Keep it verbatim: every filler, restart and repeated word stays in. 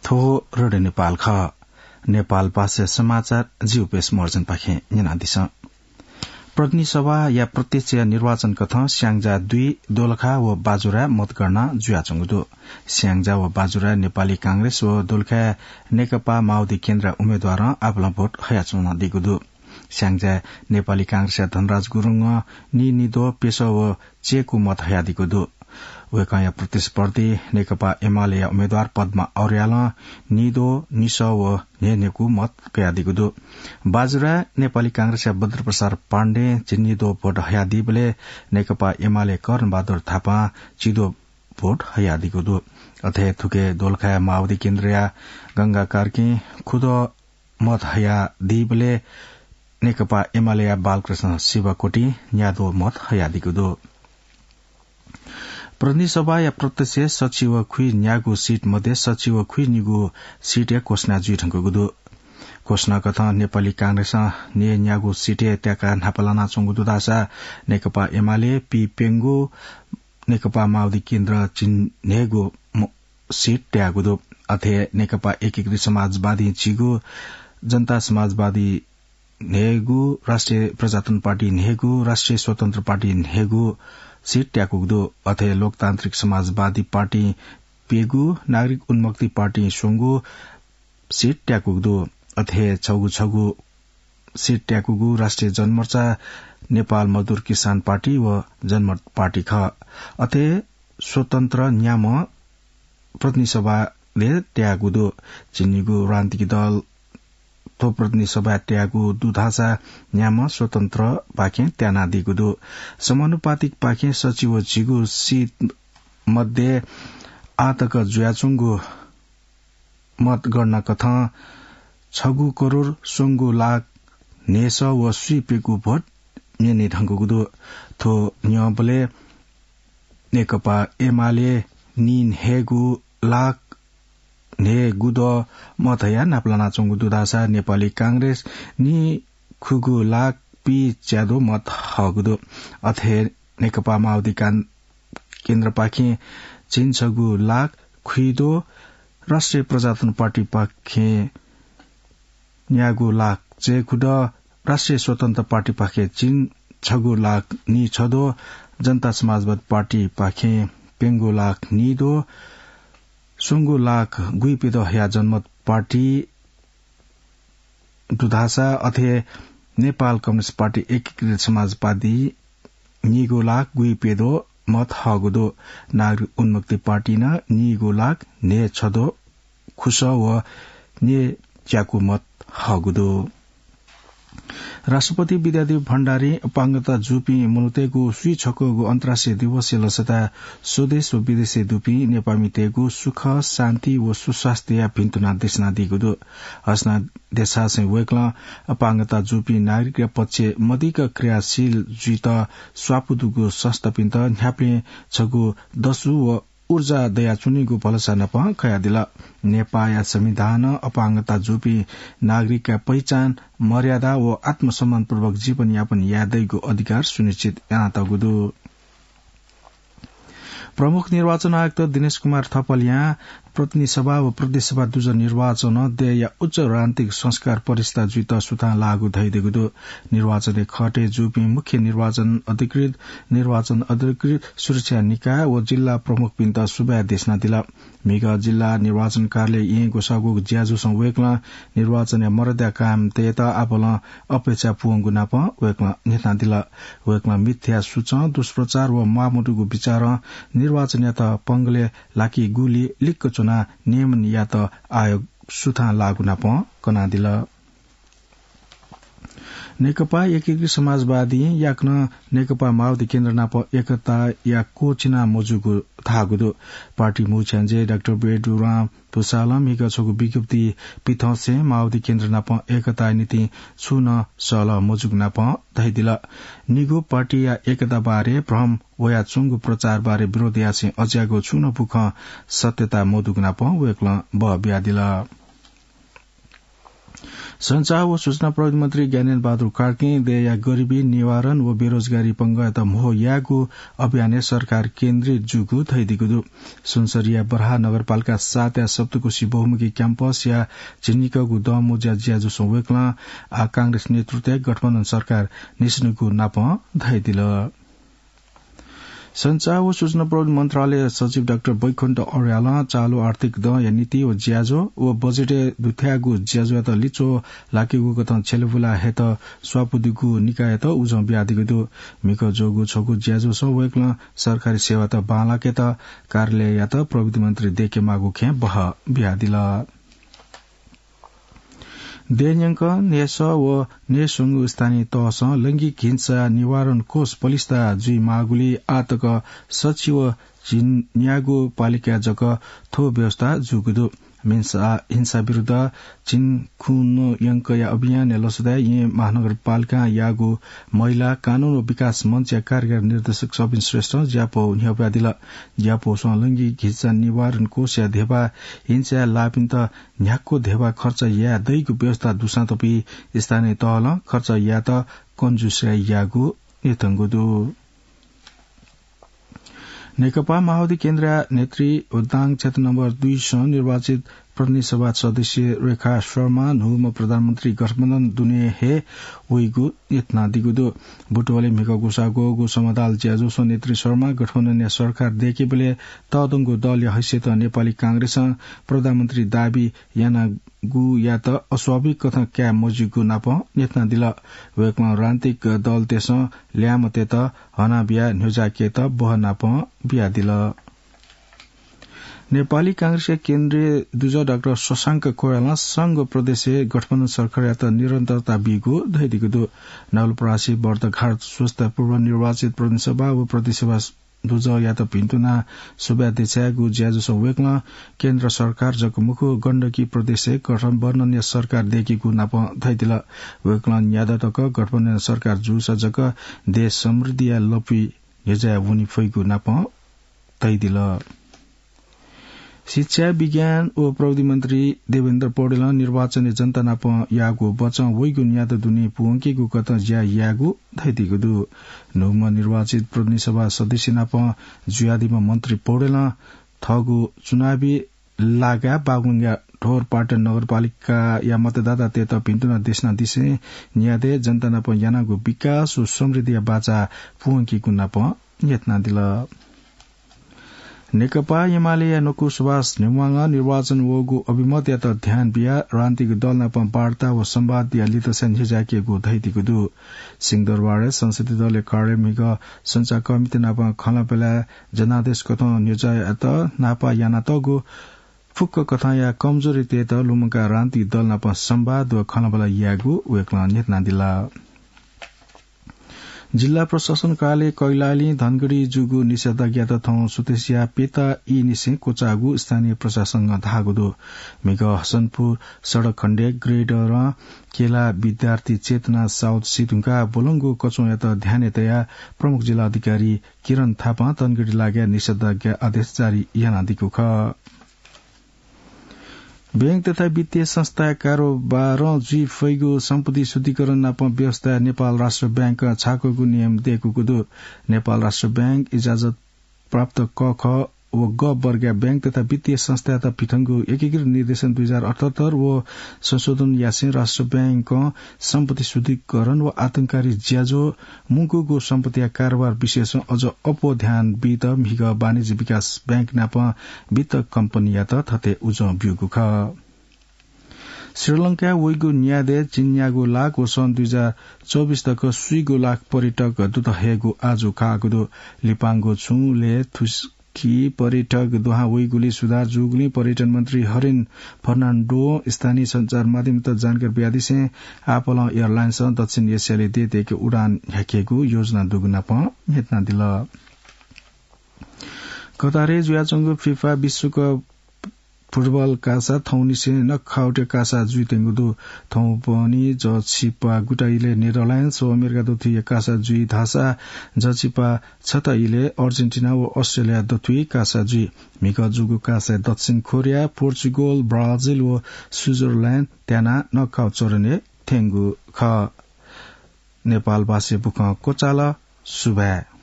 थ्व रेडियो नेपाल खः। नेपाल भाषा समाचार जि उपेश महर्जनपाखें न्यनादिसँ। प्रतिनिधि सभाया प्रत्यक्ष निर्वाचन कथं स्याङ्जा दुई दोलखा व बाजुरा मतगणना जुयाच्वंगु दु। स्याङ्जा व बाजुरा नेपाली कांग्रेस व दोलखाय् नेकपा माओवादी केन्द्र उम्मेद्वारं आपालं भोट हयाच्वनादीगु दु। स्याङ्जाय् नेपाली कांग्रेसया धनराज गुरुङं नीनिद्वः प्यसः व चय्कू मत हयादीगु दु। वय्कःया प्रतिस्पर्धी नेकपा एमालेया उम्मेद्वार पद्मा अर्यालं नीद्वः निसः व न्हय्न्हय्कू मत कयादीगु दु। बाजुराय् नेपाली कांग्रेसया बद्रप्रसाद पाण्डें झिंनिद्वः भोट हयादीबलय् नेकपा एमाले कर्णबहादुर थापां झिद्वः भोट हयादीगु दु। अथे थुके दोलखाय् माओवादी केन्द्रया गंगा कार्कीं खुद्वः मत हयादीबलय् नेकपा एमालेया बालकृष्ण शिवकोटीं न्याद्वः मत हयादीगु दु। प्रतिनिधि सभाया प्रत्यक्ष सच्छि व खुइन्यागू सिट मध्ये सच्छि व खुइनिगू सिटया घोषणा जुइधुंकूगु दु। घोषणा कथं नेपाली कांग्रेसं न्हय्न्यागू सिटय् त्याकाः न्हापा लानाच्वंगु दु धाःसा नेकपा एमाले पीप्यंगू, नेकपा माओवादी केन्द्र झिंन्हय्गू म-, सिट त्याःगु दु। अथे नेकपा एकीकृत समाजवादीं झिगू, जनता समाजवादी न्हय्गू, राष्ट्रिय प्रजातन्त्र पार्टी न्हय्गू, राष्ट्रिय स्वतन्त्र पार्टी न्हय्गू सिट त्याकूगु दु। अथे लोकतान्त्रिक समाजवादी पार्टीं प्यंगू, नागरिक उन्मुक्ति पार्टीं स्वंगू सिट त्याकूगु दु। अथे छगू छगू सिट त्याकूगु राष्ट्रिय जनमोर्चा, नेपाल मजदुर किसान पार्टी व जनमत पार्टी खः। अथे स्वतन्त्र न्याम्ह प्रतिनिधि सभाय् त्याःगु दु। झिंनिगू राजनीतिक दल थ्व प्रतिनिधि सभाय् त्याःगु दु धाःसा न्याम्ह स्वतन्त्रपाखें त्यानादीगु दु। समानुपातिकपाखें सच्छि व झिगू सिट मध्ये आःतक जुयाच्वंगु मतगणना कथं छगू करोड स्वंगू लाख न्हय्सः व स्वीप्यंगू भोट न्यनेधुंकूगु दु। थ्व न्यंबलय् नेकपा एमाले नीन्हय्गू लाख न्हय्गू द्वः मत हयाः न्हापा लानाच्वंगु दु धाःसा नेपाली कांग्रेस नीखुगू लाख पीच्याद्वः मत हःगु दु। अथे नेकपा माओवादी कां-, केन्द्रपाखें झिंछगू लाख खुइद्वः, राष्ट्रिय प्रजातन्त्र पार्टीपाखें न्यागू लाख चय्कू द्वः, राष्ट्रिय स्वतन्त्र पार्टीपाखें झिंछगू लाख नीछद्वः, जनता समाजवादी पार्टीपाखें प्यंगू लाख नीद्वः, स्वंगू लाख गुइप्यद्वः हयाः जनमत पार्टी दु धाःसा अथे नेपाल कम्युनिस्ट पार्टी एकीकृत समाजवादी नीगू लाख गुइप्यद्वः मत हःगु दु। नागरिक उन्मुक्ति पार्टीं नं नीगू लाख न्हय्छद्वः खुसः व न्हय्च्याकू मत हःगु दु। राष्ट्रपति विद्यादेवी भण्डारीं अपाङ्गता जूपिं मनूतय्गु स्वीछक्वःगु अन्तर्राष्ट्रिय दिवसया लसताय् स्वदेश व विदेशय् दुपिं नेपाःमितय्गु सुख, शान्ति व सुस्वास्थ्यया भिन्तुना देछानादीगु दु। हसना देछासें वय्कलं अपाङ्गता जूपिं नागरिकया पक्षय् मदिक्क क्रियाशील जुइत स्वापू दुगु संस्थापिन्त न्ह्याबलें छगू दसु व ऊर्जा दयाच्वनीगु भलसा नापं कयादिल। नेपाःया संविधानं अपाङ्गता जूपिं नागरिकया पहिचान, मर्यादा व आत्मसम्मानपूर्वक जीवनयापन याये दइगु अधिकार सुनिश्चित यानातःगु दु। प्रमुख निर्वाचन आयुक्त दिनेश कुमार थपलियां प्रतिनिधि सभा व प्रदेश सभा दुजः निर्वाचनं देय्‌या उच्च राजनीतिक संस्कार प्रतिष्ठा जुइत सुथां लाःगु धयादीगु दु। निर्वाचनय् खटे जूपिं मुख्य निर्वाचन अधिकृत, निर्वाचन अधिकृत, सुरक्षा निकाय व जिल्ला प्रमुखपिन्त सुभाय् देछानादिल। म्हिगः जिल्ला निर्वाचन कार्यालय येँ ग्वसाःगु ज्याझ्वलय् वय्कलं निर्वाचनया मर्यादा कायम तयेत आपालं अपेक्षा पूवंगु नापं वय्कलं न्ह्यथनादिल। वय्कलं मिथ्या सुचं, दुष्प्रचार व म्वाःमदुगु विचारं निर्वाचनयात पंगलय् लाकीगुली लिक्क च्वनाः नियमनयात आयोग सुथां लाःगु नापं कनादिल। नेकपा एकीकृत समाजवादीं याकनं नेकपा माओवादी केन्द्र नाप एकताया क्वःछिना मजूगु धाःगु दु। पार्टी मुख्याञ्जे डाक्टर बेडुराम भुसालं म्हिगः छगू विज्ञप्ति पिथंसें माओवादी केन्द्र नाप एकताया निंतिं छुं नं सल्लाह मजूगु नाप धयादिल। निगू पार्टीया एकता बारे भ्रम वयाच्वंगु प्रचार बारे विरोध यासें अज्याःगु छुं नं बुखँ सत्यता मदुगु नाप वय्कलं बः बियादिल। सञ्चार व सूचना प्रविधि मन्त्री ज्ञानेन्द्र बहादुर कार्कीं देय्‌या गरिबी निवारण व बेरोजगारी पंगःयात म्हो यायेगु अभियानय् सरकार केन्द्रित जूगु धयादीगु दु। सुनसरीया बर्हा नगरपालिका सातया सप्तकोशी बहुमुखी क्याम्पसया झिंनिकःगु दँमोज्या ज्याझ्वलय् वय्‌कलं आः कांग्रेस नेतृत्वय् गठबन्धन सरकार निस्वनेगु नापं धयादिल। सञ्चार व सूचना प्रविधि मन्त्रालय सचिव डाक्टर बैकुण्ठ अर्यालं चालु आर्थिक दँया नीति व ज्याझ्वः व बजेटय् दुथ्याःगु ज्याझ्वःयात लिच्वः लाकेगु कथं छ्यलेबुलाः हयेत स्वापू दुगु निकाययात उजं बियादीगु दु। म्हिगः ज्वःगु छगू ज्याझ्वलय् वय्‌कलं सरकारी सेवात बांलाकेत कार्यालययात प्रविधि मन्त्री दय्‌केमाःगु खँय् बहः बियादिल। देय्‌न्यंक न्हय्‌सः व न्हय्‌स्वंगू स्थानीय तहसं लैंगिक हिंसा निवारण कोष पलिस्था जुइमाःगुलिं आःतक सच्छि व झिंन्यागू पालिकाय् जक थ्व व्यवस्था जूगु दु। हिंसा, हिंसा विरुद्ध झिंखुन्हु यंकया अभियानय् लसताय् येँ महानगरपालिकां याःगु महिला, कानून व विकास मञ्चया कार्यकारी निर्देशक सबिन श्रेष्ठं ज्यापौ न्ह्यब्वयादिल। ज्यापौसं लैंगिक हिंसा निवारण कोषया ध्यबा हिंसाय् लाःपिन्त न्ह्याक्व ध्यबा खर्च याये दइगु व्यवस्था दुसां तपि स्थानीय तहलं खर्च यायेत कन्जुस्याइ याःगु न्ह्यथंगु दु। नेकपा माओवादी केन्द्रया नेतृ व दाङ क्षेत्र नम्बर दुईसं निर्वाचित प्रतिनिधि सभा सदस्य रेखा शर्मा न्हूम्ह प्रधानमन्त्री गठबन्धन दुने हे वइगु न्ह्यथनादीगु दु। बुटवलय् म्हिगः ग्वसाः ग्वःगु समदाल ज्याझ्वलय् नेतृ शर्मा गठबन्धनया सरकार दय्‌केबलय् तःधंगु दलया हैसियतं नेपाली कांग्रेसं प्रधानमन्त्री दाबी यानागुयात अस्वाभाविक कथं काये मज्यूगु नापं न्ह्यथनादिल। वय्‌कलं राजनीतिक दलतय्‌सं ल्याय्म्हतय्‌त हनाबिया न्ह्यज्याकेत बहः नापं बियादिल। नेपाली कांग्रेसया केन्द्रीय दुजः डाक्टर शशांक कोइरालां संघ प्रदेशय् गठबन्धन सरकारयात निरन्तरता बीगु धयादीगु दु। नवलपरासी बर्दघाट स्वस्ता पूर्व निर्वाचित प्रतिनिधि सभा व प्रतिनिधि सभा दुजःयात भिन्तुना सुभाय् देछायेगु ज्याझ्वलय् वय्‌कलं केन्द्र सरकार जक मखु, गण्डकी प्रदेशय् गठबन्धनया सरकार दय्‌केगु नापं धयादिल। वय्‌कलं न्यादँ तक गठबन्धनया सरकार जूसा जक देश समृद्धिया लँपुइ न्ह्यज्याये वने फइगु नापं धयादिल। शिक्षा, विज्ञान व प्रविधि मन्त्री देवेन्द्र पौडेलं निर्वाचनय् जनता नाप याःगु बचं वइगु न्यादँ दुने पूवंकेगु कथं ज्या यायेगु धयादीगु दु। न्हूम्ह निर्वाचित प्रतिनिधि सभा सदस्य नाप जुयादीम्ह मन्त्री पौडेलं थःगु चुनावी लागाय् बागलुङया ढोरपाटन नगरपालिकाया मतदातातय्‌त भिन्तुना देछानादिसें न्यादँय् जनता नाप यानागु विकास व समृद्धिया बाचा पूवंकेगु नाप न्ह्यथनादिल। नेकपा एमालेया नकु सुभाष नेवाःं निर्वाचन वःगु अभिमतयात ध्यान बियाः राजनीतिक दल नाप वार्ता व संवादया लितस्यां न्ह्यज्याकेगु धयादीगु दु। सिंहदरबारय् संसदीय दलया कार्यालयय् म्हिगः सञ्चारकर्मीत नाप खँल्हाबल्हाय् जनादेश कथं न्ह्यज्यायेत नापं यानातःगु फुक्क कथंया कमजोरीतय्‌त लुमंकाः राजनीतिक दल नाप संवाद व खँल्हाबल्हा यायेगु वय्‌कलं न्ह्यथनादिल। जिल्ला प्रशासन कार्यालय कैलालीं धनगढी जूगु निषेधाज्ञायात थौं सुथसिया प्यता ईनिसें क्वचाःगु स्थानीय प्रशासनं धाःगु दु। म्हिगः हसनपुर सडक खण्डय् ग्रेडरं केला विद्यार्थी चेतना साउद सी धुंकाः ब्वलंगु कच्वंयात ध्यानय् तयाः प्रमुख जिल्ला अधिकारी किरण थापां धनगढी लागाय् निषेधाज्ञा आदेश जारी यानादीगु खः। बैंक तथा वित्तीय संस्थाया कारोबारं जुइ फइगु सम्पत्ति शुद्धिकरण नाप व्यवस्थाय् नेपाल राष्ट्र बैंकं छाकूगु नियम दय्‌कूगु दु। नेपाल राष्ट्र बैंक इजाजत प्राप्त क, ख व ग वर्गया बैंक तथा वित्तीय संस्थायात पिथंगु एकीकृत निर्देशन दुई हजार अठहत्तर व संशोधन यासें राष्ट्र बैंकं सम्पत्ति शुद्धिकरण व आतंककारी ज्याझ्वः मुंकूगु सम्पत्तिया कारोबार विषयसं अझ अप्वः ध्यान बीत म्हिगः वाणिज्य विकास बैंक नाप वित्त कम्पनीयात थथे उजं ब्यूगु खः। श्रीलंकाय् वइगु न्यादँय् झिंन्यागू लाख व सन् दुई हजार चौबिस तक स्वीगू लाख पर्यटक दुत हयेगु आजु काःगु दु। लिपांगु छुं लय् थुस्की पर्यटक दुहां वइगुलिइ सुधार जूगुलिं पर्यटन मन्त्री हरेन फर्नान्डों स्थानीय सञ्चार माध्यमयात जानकारी बियादिसें आपालं एयरलाइन्सं दक्षिण एसियाय् देय्‌देय्‌के उडान न्ह्याकेगु योजना दुगु नाप न्ह्यथनादिल। कतारय् जुयाच्वंगु फिफा विश्वकप फुटबल कासा थौंनिसें नकआउटया कासा जुइत्यंगु दु। थौंपनि जःछिपा गुता इलय् नेदरल्याण्ड्स व अमेरिका दथुइया कासा जुइ धाःसा जःछिपा छता इलय् अर्जेन्टिना व अस्ट्रेलिया दथुइ कासा जुइ। म्हिगः जूगु कासाय् दक्षिण कोरिया, पोर्चुगल, ब्राजिल व स्विजरल्याण्ड त्यानाः नकआउट चरणय् थ्यंगु खः। नेपाल भाषाय् बुखँ क्वचाल। सुभाय्।